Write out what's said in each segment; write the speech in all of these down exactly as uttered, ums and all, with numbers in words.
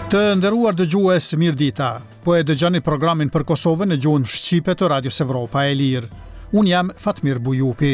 Të nderuar dëgjues, mirëdita. Po e dëgjoni programin për Kosovën në gjuhën shqipe të Radios Evropa e Lirë. Unë jam Fatmir Bujupi.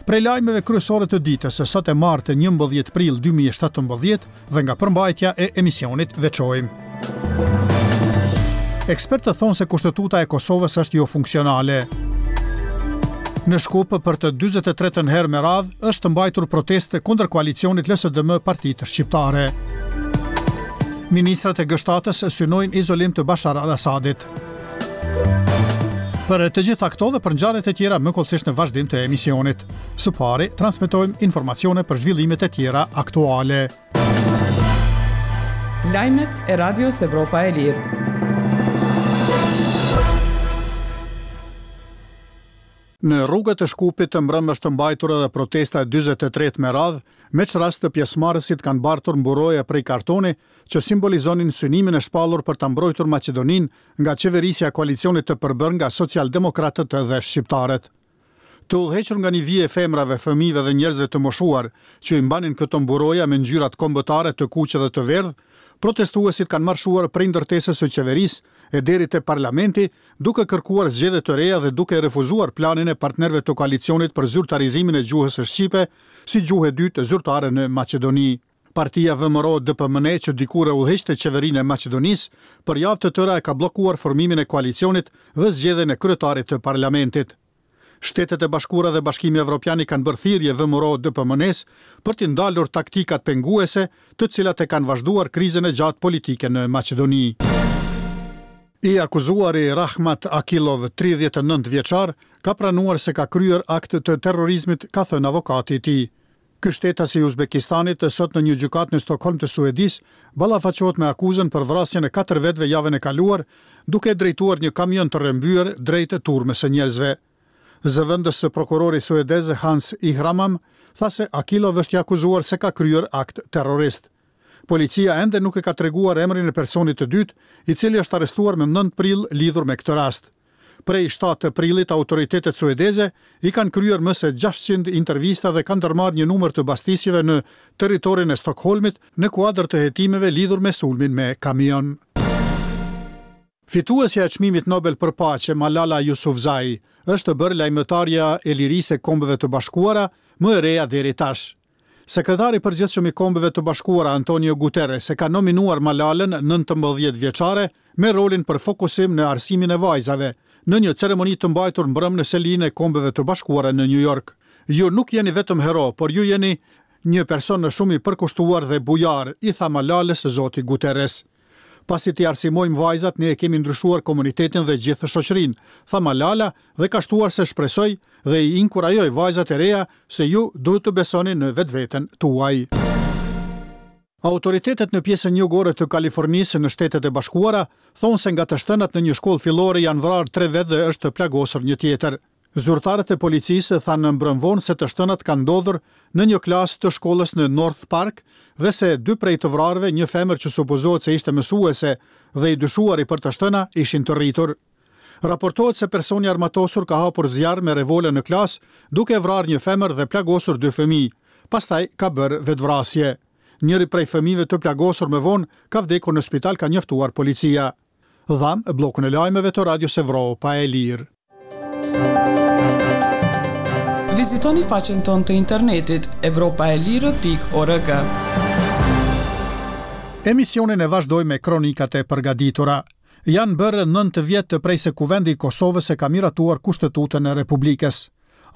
Prej lajmeve kryesore të ditës së sot e martë njëmbëdhjetë prill dy mijë e shtatëmbëdhjetë dhe nga përmbajtja e emisionit veçojmë. Ekspertët thonë se kushtetuta e Kosovës është jofunksionale. Në Shkup për të dyzet e tretën herë me radhë është mbajtur protestë kundër koalicionit L S D M Partitë Shqiptare. Ministrat e G shtatës synojnë izolim të Bashar al-Assadit. Për të gjitha këto dhe për ngjarjet e tjera më kollësisht në vazhdim të emisionit. Së pari, transmetojmë informacione për zhvillimet e tjera aktuale. Lajmet e Radios Evropa e Lirë. Në rrugët e Shkupit të mbrëmë është mbajtur edhe protesta e dyzet e tretë me radhë, me ç'rast të pjesëmarrësit kanë bartur mburoje prej kartoni që simbolizonin synimin e shpallur për ta mbrojtur Maqedoninë nga qeverisja e koalicionit të përbërë nga socialdemokratët dhe shqiptarët. Të udhëhequr nga një vije e femrave, fëmijëve dhe njerëzve të moshuar që i mbanin këto mburoja me ngjyrat kombëtare të kuqe dhe të verdhë, protestuesit kanë marshuar prej ndërtesës së qeverisë e deri te parlamenti, duke kërkuar zgjedhje të reja dhe duke refuzuar planin e partnerëve të koalicionit për zyrtarizimin e gjuhës shqipe si gjuhë e dytë zyrtare në Maqedoni. Partia V M R O D P M N që dikur e udhëheqte qeverinë e Maqedonisë, për javë të tëra e ka bllokuar formimin e koalicionit dhe zgjedhjen e kryetarit të parlamentit. Shtetet e Bashkuara dhe Bashkimi Evropian i kanë bërë thirrje V M R O D P M N-s për t'i ndalur taktikat penguese, të cilat e kanë vazhduar krizën e gjatë politike në Maqedoni. I akuzuari Rahmat Akilov, tridhjetë e nëntë vjeçar, ka pranuar se ka kryer akt të terrorizmit, ka thënë avokati i tij. Ky shtetas i Uzbekistanit sot në një gjykatë në Stockholm të Suedisë ballafaqohet me akuzën për vrasjen e katër vetëve javën e kaluar, duke drejtuar një kamion të rrëmbyer drejt turmës së njerëzve. Zëvendës prokurori suedez Hans Ihramam tha se Akilov është i akuzuar se ka kryer akt terrorist. Policia ende nuk e ka treguar emrin e personit të dytë, i cili është arrestuar më nëntë prill lidhur me këtë rast. Prej shtatë prillit autoritetet suedeze i kanë kryer më se gjashtëqind intervista dhe kanë ndërmarrë një numër të bastisjeve në territorin e Stockholmit në kuadër të hetimeve lidhur me sulmin me kamion. Fituesja e çmimit Nobel për paqe Malala Yousafzai është bërë lajmëtarja e lirisë e Kombeve të Bashkuara, më e reja deri tash. Sekretari i përgjithshëm i Kombeve të Bashkuara Antonio Guterres e ka nominuar Malalën nëntëmbëdhjetë vjeçare me rolin për fokusim në arsimin e vajzave, në një ceremoni të mbajtur mbrëmë në selinë e Kombeve të Bashkuara në New York. Ju nuk jeni vetëm hero, por ju jeni një person shumë i përkushtuar dhe bujar, i tha Malalës zoti Guterres. Pasi t'i arsimojmë vajzat, ne e kemi ndryshuar komunitetin dhe gjithë shoqërinë, tha Malala dhe ka shtuar se shpresoj dhe i inkurajoj vajzat e reja se ju duhet të besoni në vetveten tuaj. Autoritetet në pjesën jugore të Kalifornisë në Shtetet e Bashkuara thonë se nga të shtënat në një shkollë fillore janë vrarë tre vetë dhe është plagosur një tjetër. Zyrtarët e policisë thanë mbrëmë vonë se të shtënat kanë ndodhur në një klasë të shkollës në North Park dhe se dy prej të vrarëve, një femër që supozohet se ishte mësuese dhe i dyshuari për të shtëna, ishin të rritur. Raportohet se personi i armatosur ka hapur zjarr me revole në klasë, duke vrarë një femër dhe plagosur dy fëmijë. Pastaj ka bërë vetvrasje. Njëri prej fëmijëve të plagosur më vonë ka vdekur në spital, ka njoftuar policia. Dham bllokun e lajmeve të Radios Evropa e Lirë. Vizitoni faqen tonë të internetit evropa e lirë pikë org. Emisionin e vazhdoj me kronikat e përgatitura. Janë bërë nëntë vjet të prej se Kuvendi i Kosovës e ka miratuar Kushtetutën e Republikës.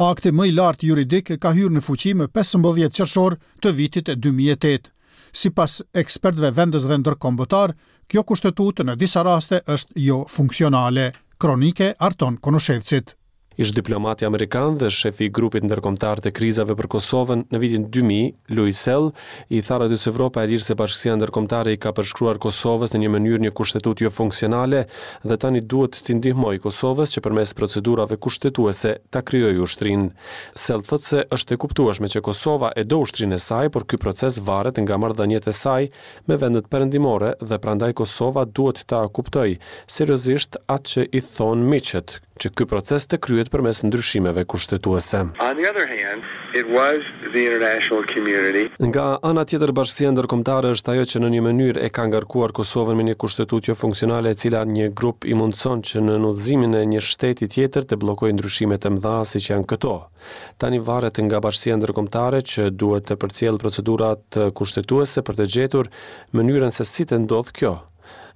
Akti më i lartë juridik ka hyrë në fuqi më pesëmbëdhjetë qershor të vitit dy mijë e tetë. Sipas ekspertëve vendës dhe ndërkombëtar, kjo kushtetutë në disa raste është jo funksionale. Kronike Arton Konushevcit. Ish diplomati amerikan dhe shefi i grupit ndërkombëtar të krizave për Kosovën në vitin dy mijë, Louis Sell, i tha Radios Evropa e Lirë se bashkësia ndërkombëtare i ka përshkruar Kosovës në një mënyrë një kushtetutë jo funksionale dhe tani duhet t'i ndihmojë Kosovës që përmes procedurave kushtetuese ta krijojë ushtrinë. Sell thotë se është e kuptueshme që Kosova e do ushtrinë e saj, por ky proces varet nga marrëdhëniet e saj me vendet perëndimore dhe prandaj Kosova duhet ta kuptojë seriozisht atë që i thonë miqët, që ky proces të kryhet përmes ndryshimeve kushtetuese. On the other hand, it was the international community. Nga ana tjetër, bashkësia ndërkombëtare është ajo që në një mënyrë e ka ngarkuar Kosovën me një kushtetutë jo funksionale, e cila një grup i mundëson që në udhëzimin e një shteti tjetër të bllokojë ndryshimet e mëdha siç janë këto. Tani varet nga bashkësia ndërkombëtare që duhet të përcjellë procedurat kushtetuese për të gjetur mënyrën se si të ndodh kjo.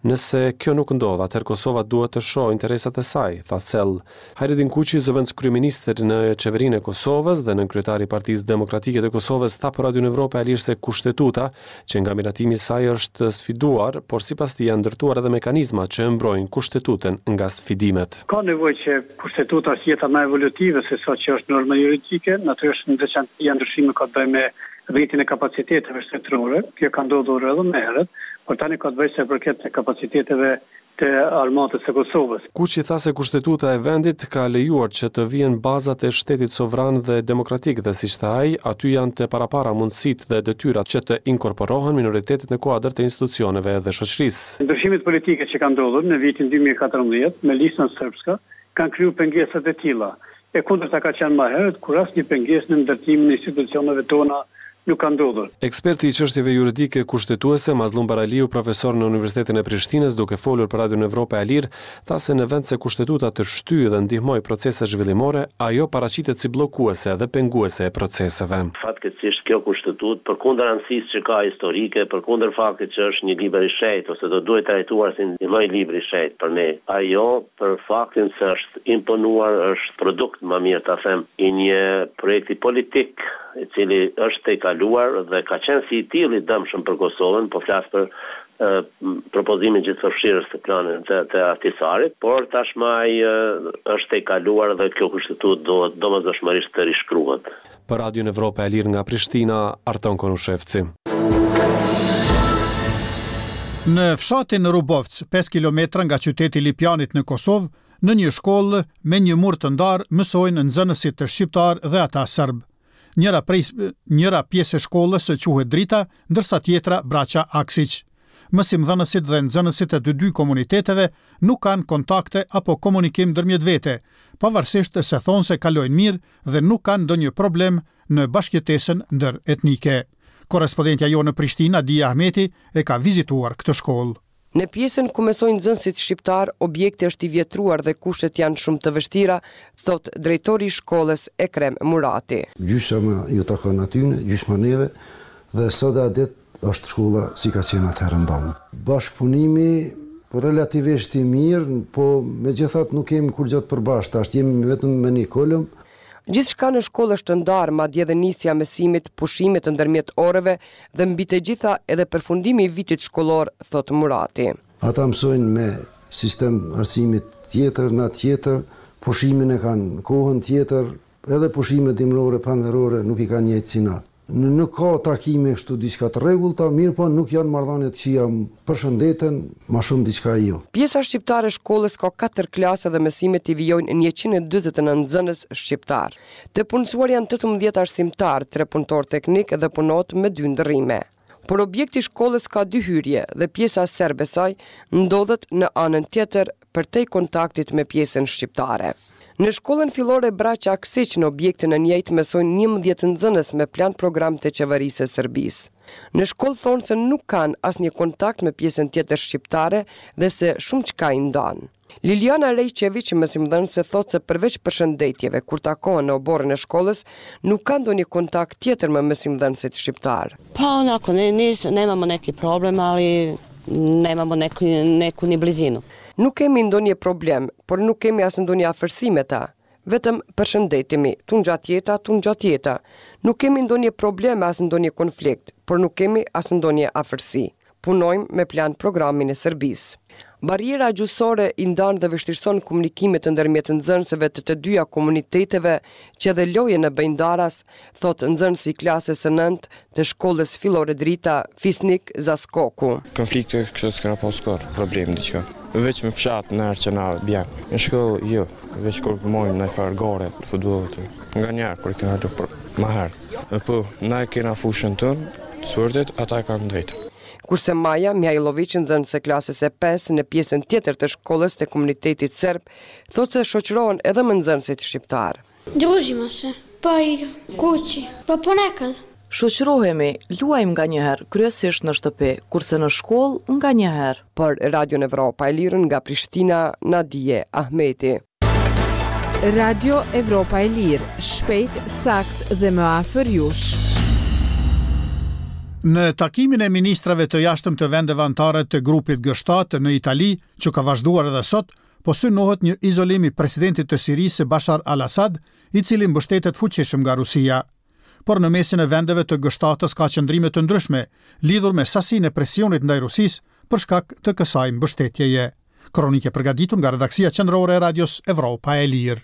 Nëse kjo nuk ndodh, atëherë Kosova duhet të shohë interesat e saj, tha Sell. Hajredin Kuçi, zëvendës kryeministër në qeverinë e Kosovës dhe nënkryetari i Partisë Demokratike të Kosovës, tha për Radion Evropa e Lirë se kushtetuta, që nga miratimi i saj është sfiduar, por sipas tij janë ndërtuar edhe mekanizma që e mbrojnë kushtetutën nga sfidimet. Ka nevojë që kushtetuta të jetë më evolutive se sa që është norma juridike, natyrisht në veçanti janë ndryshime ka të bëjë me rritjen e kapaciteteve shtetërore, kjo ka ndodhur edhe më herët, por tani ka të bëjë se përket të kapaciteteve të armatës së Kosovës. Kuçi tha se kushtetuta e vendit ka lejuar që të vihen bazat e shtetit sovran dhe demokratik dhe siç tha ai, aty janë të parapara mundësitë dhe detyrat që të inkorporohen minoritetet në kuadër të institucioneve dhe shoqërisë. Ndryshimet politike që kanë ndodhur në vitin dy mijë e katërmbëdhjetë me listën srpska kanë kriju pengesat e tilla. E kundërta ka qenë më herët, kur asnjë pengesë në ndërtimin e institucioneve tona nuk ka ndodhur. Eksperti i çështjeve juridike kushtetuese Mazlum Baraliu, profesor në Universitetin e Prishtinës, duke folur për Radion Evropa e Lirë, tha se në vend se kushtetuta të shtyjë dhe ndihmojë procese zhvillimore, ajo paraqitet si bllokuese dhe penguese e proceseve. Fatkeqësisht kjo kushtetutë, përkundër rëndësisë që ka historike, përkundër faktit që është një libër i shenjtë ose do duhet trajtuar si një lloj libri i shenjtë për ne, ajo për faktin se është imponuar, është produkt, më mirë ta them, i një projekti politik i cili është tejkaluar dhe ka qenë si i tillë i dëmshëm për Kosovën, po flas për, e, propozimin gjithëpërfshirës të planit të, të Ahtisarit, por tashmë ai, e, është tejkaluar dhe kjo kushtetutë duhet domosdoshmërisht të rishkruhet. Për Radion Evropa e Lirë nga Prishtina, Arton Konushevci. Në fshatin Rubovc, pesë kilometra nga qyteti Lipjanit në Kosovë, në një shkollë me një mur të ndarë mësojnë nxënësit të shqiptar dhe ata serb. Njëra prej, njëra pjesë e shkollës quhet Drita, ndërsa tjetra Braqa Aksiq. Mësimdhënësit dhe nxënësit e të dy komuniteteve nuk kanë kontakte apo komunikim ndërmjet vete, pavarësisht se thonë se kalojnë mirë dhe nuk kanë ndonjë problem në bashkëjetesën ndëretnike. Korrespondentja jonë në Prishtinë, Adia Ahmeti, e ka vizituar këtë shkollë. Në pjesën ku mësojnë nxënësit shqiptar, objekti është i vjetruar dhe kushtet janë shumë të vështira, thot drejtori i shkollës Ekrem Murati. Gjysma ju takon atyne, gjysma neve, dhe sot e ditë është shkolla si ka qenë atëherë ndonjë. Bashkëpunimi relativisht i mirë, po megjithatë nuk kemi kurrgjë të përbashkët, tash jemi vetëm me një kolum. Gjithçka në shkollë është ndarë, madje edhe nisja e mësimit, pushimet ndërmjet orëve dhe mbi të gjitha edhe përfundimi i vitit shkollor, thot Murati. Ata mësojnë me sistem arsimit tjetër, na tjetër, pushimin e kanë kohën tjetër, edhe pushimet dimërore, pranverore nuk i kanë njëjtë si na. Në-, nuk ka takime kështu diçka të rregullta, mirë po nuk janë marrëdhënie të këqija, përshëndeten, ma shumë diçka jo. Pjesa shqiptare e shkollës ka katër klase dhe mësimet i vijojnë njëqind e dyzet e nëntë nxënës shqiptar. Të punësuar janë tetëmbëdhjetë arsimtar, tre punëtor teknik dhe punot me dy ndërrime. Por objekti i shkollës ka dy hyrje dhe pjesa serbe saj ndodhet në anën tjetër përtej kontaktit me pjesën shqiptare. Në shkollën fillore Braqa Aksiq në objektin e njëjtë mësojnë njëmbëdhjetë nxënës me plan program të qeverisë së Serbisë. Në shkollë thonë se nuk kanë asnjë kontakt me pjesën tjetër shqiptare dhe se shumë çka i ndan. Liliana Rejçeviq, mësimdhënëse, thotë se përveç përshëndetjeve kur takohen në oborrin e shkollës, nuk ka ndonjë kontakt tjetër me mësimdhënësit shqiptar. Pa onako, ne, nis, nemamo neki problem, ali nemamo neku, neku ni blizinu. Nuk kemi ndonjë problem, por nuk kemi as ndonjë afërsi me ta. Vetëm përshëndetemi, tunxhat jeta, tunxhat jeta. Nuk kemi ndonjë problem as ndonjë konflikt, por nuk kemi as ndonjë afërsi. Punojmë me plan programin e Serbisë. Barriera gjuhësore i ndan dhe vështirëson komunikimet ndërmjet nxënësve të të dyja komuniteteve që edhe lojën e bëjnë ndaras, thot nxënësi i klasës së nëntë të shkollës fillore Drita, Fisnik Zaskoku. Konflikte kështu s'kena pas kurrë, problem diçka. Veç në fshat në herë që na bjen. Në shkollë jo, veç kur mojmë në farë gore të futbollit. Nga njerë kur kena lu për më herë. E po, na e kena fushën tonë, të sportit, ata e kanë të vetën. Kurse Maja Mihajlović, nxënëse klasës së pestë në pjesën tjetër të shkollës të komunitetit serb, thotë se shoqërohen edhe me nxënësit shqiptar. Družimo se, pa igram, kući, pa ponekad. Shoqërohemi, luajmë nganjëherë, kryesisht në shtëpi, kurse në shkollë nganjëherë. Për Radion Evropa e Lirë nga Prishtina, Nadije Ahmeti. Radio Evropa e Lirë, shpejt, sakt dhe më afër jush. Në takimin e ministrave të jashtëm të vendeve anëtare të grupit G shtatë në Itali, që ka vazhduar edhe sot, po synohet një izolim i presidentit të Sirisë Bashar al-Assad, i cili mbështetet fuqishëm nga Rusia. Por në mesin e vendeve të G shtatës ka qëndrime të ndryshme lidhur me sasinë e presionit ndaj Rusisë për shkak të kësaj mbështetjeje. Kronike përgatitur nga redaksia qendrore e Radios Evropa e Lirë.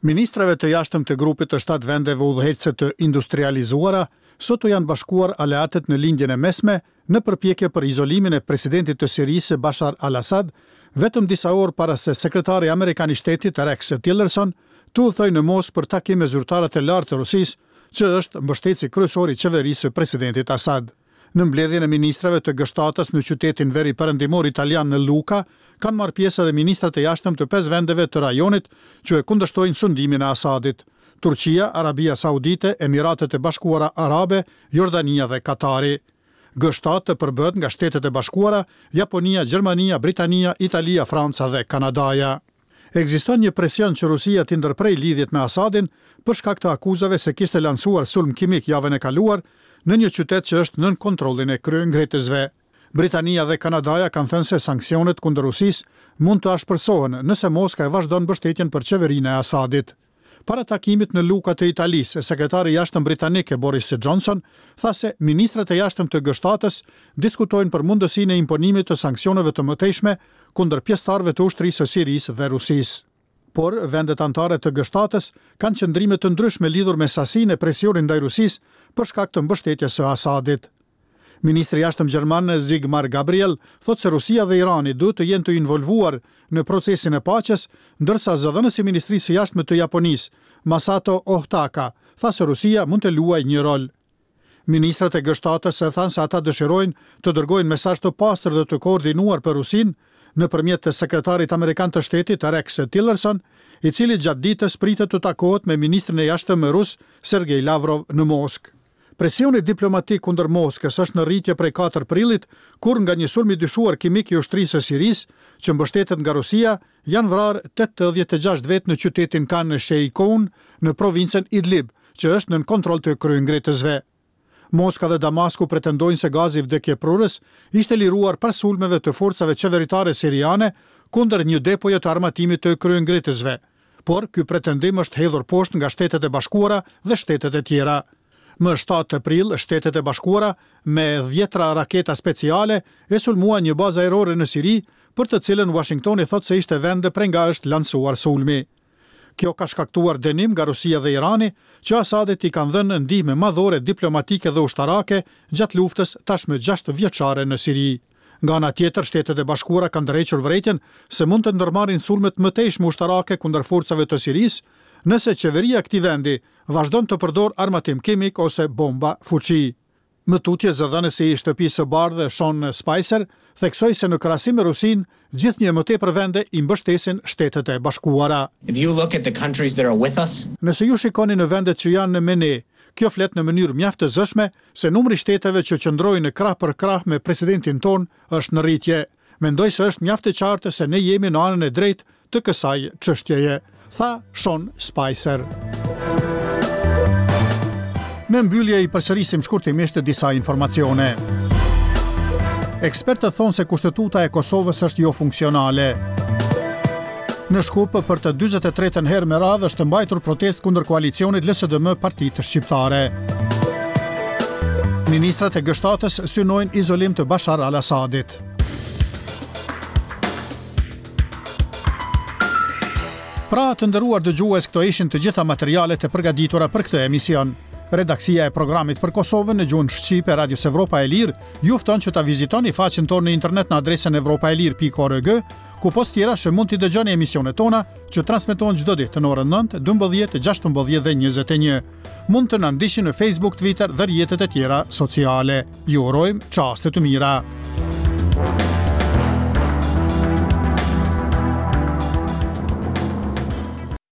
Ministrave të jashtëm të grupit të shtatë vendeve udhëheqëse të industrializuara sot u janë bashkuar aleatët në Lindjen e Mesme në përpjekje për izolimin e presidentit të Sirisë Bashar al-Assad, vetëm disa orë para se sekretari amerikan i shtetit Rex Tillerson të udhëtojë në Moskë për takim me zyrtarët e lartë të Rusisë, që është mbështetësi kryesor i qeverisë së presidentit Assad. Në mbledhjen e ministrave të G shtatës në qytetin veri perëndimor italian në Luka, kanë marrë pjesë edhe ministrat e jashtëm të pesë vendeve të rajonit që e kundërshtojnë sundimin e Assadit: Turqia, Arabia Saudite, Emiratet e Bashkuara Arabe, Jordania dhe Katari. G shtatë përbëhet nga Shtetet e Bashkuara, Japonia, Gjermania, Britania, Italia, Franca dhe Kanadaja. Ekziston një presion që Rusia t'i ndërprej lidhjet me Assadin për shkak të akuzave se kishte lansuar sulm kimik javën e kaluar në një qytet që është nën kontrollin e kryengritësve. Britania dhe Kanadaja kanë thënë se sanksionet kundër Rusisë mund të ashpërsohen nëse Moska e vazhdon mbështetjen për qeverinë e Assadit. Para takimit në Luka të Italisë, sekretari i jashtëm britanik Boris Johnson tha se ministrat e jashtëm të G shtatës diskutojnë për mundësinë e imponimit të sanksioneve të mëtejshme kundër pjesëtarëve të ushtrisë së Sirisë dhe Rusisë. Por vendet anëtare të G shtatës kanë qëndrime të ndryshme lidhur me sasinë e presionit ndaj Rusisë për shkak të mbështetjes së Assadit. Ministri i jashtëm gjerman Sigmar Gabriel thotë se Rusia dhe Irani duhet të jenë të involvuar në procesin e paqes, ndërsa zëdhënësi i Ministrisë së Jashtme të Japonisë, Masato Ohtaka, tha se Rusia mund të luajë një rol. Ministrat e G shtatës thanë se ata dëshirojnë të dërgojnë mesazh të pastër dhe të koordinuar për Rusinë nëpërmjet të sekretarit amerikan të shtetit Rex Tillerson, i cili gjatë ditës pritet të takohet me ministrin e jashtëm rus Sergej Lavrov në Moskë. Presioni diplomatik kundër Moskës është në rritje prej katër prillit, kur nga një sulm i dyshuar kimik i ushtrisë së Sirisë, që mbështetet nga Rusia, janë vrarë tetëdhjetë e gjashtë vetë në qytetin Khan Sheikhoun në provincën Idlib, që është nën kontroll të kryengritësve. Moska dhe Damasku pretendojnë se gazi vdekjeprurës ishte liruar pas sulmeve të forcave qeveritare siriane kundër një depoje të armatimit të kryengritësve, por ky pretendim është hedhur poshtë nga Shtetet e Bashkuara dhe shtetet e tjera. Më shtatë prill, Shtetet e Bashkuara me dhjetra raketa speciale e sulmuan një bazë ajrore në Siri, për të cilën Washingtoni thotë se ishte vende prej nga është lansuar sulmi. Kjo ka shkaktuar dënim nga Rusia dhe Irani, që Assadit i kanë dhënë ndihmë madhore diplomatike dhe ushtarake gjatë luftës tashmë gjashtë vjeçare në Siri. Nga ana tjetër, Shtetet e Bashkuara kanë ndërhequr vërejtjen se mund të ndërmarrin sulme të mëtejshme ushtarake kundër forcave të Sirisë, nëse qeveria e këtij vendi vazhdon të përdor armatim kimik ose bomba fuqi. Më tutje, zëdhënësi i Shtëpisë së Bardhë Sean Spicer theksoi se në krahasim me Rusinë, gjithnjë më tepër vende i mbështesin Shtetet e Bashkuara. If you look at the countries that are with us, Nëse ju shikoni në vendet që janë me ne, kjo flet në mënyrë mjaft të zëshme se numri i shteteve që qëndrojnë krah për krah me presidentin ton është në rritje. Mendoj se është mjaft e qartë se ne jemi në anën e drejtë të kësaj çështjeje, tha Sean Spicer. Në mbyllje i përsërisim shkurtimisht disa informacione. Ekspertët thonë se kushtetuta e Kosovës është jo funksionale. Në Shkup për të dyzet e tretën herë me radhë është mbajtur protestë kundër koalicionit L S D M Partitë Shqiptare. Ministrat e G shtatës synojnë izolim të Bashar al-Assadit. Pra, të nderuar dëgjues, këto ishin të gjitha materialet e përgatitura për këtë emision. Redaksia e programit për Kosovën në gjuhën shqipe Radios Evropa e Lirë ju fton që ta vizitoni faqen tonë në internet në adresën evropaelire pikë org, ku pos tjerash mund t'i dëgjoni emisionet tona që transmetohen çdo ditë në orën nëntë, dymbëdhjetë, gjashtëmbëdhjetë dhe njëzet e një. Mund të na ndiqni në Facebook, Twitter dhe rrjetet e tjera sociale. Ju urojmë çaste të mira.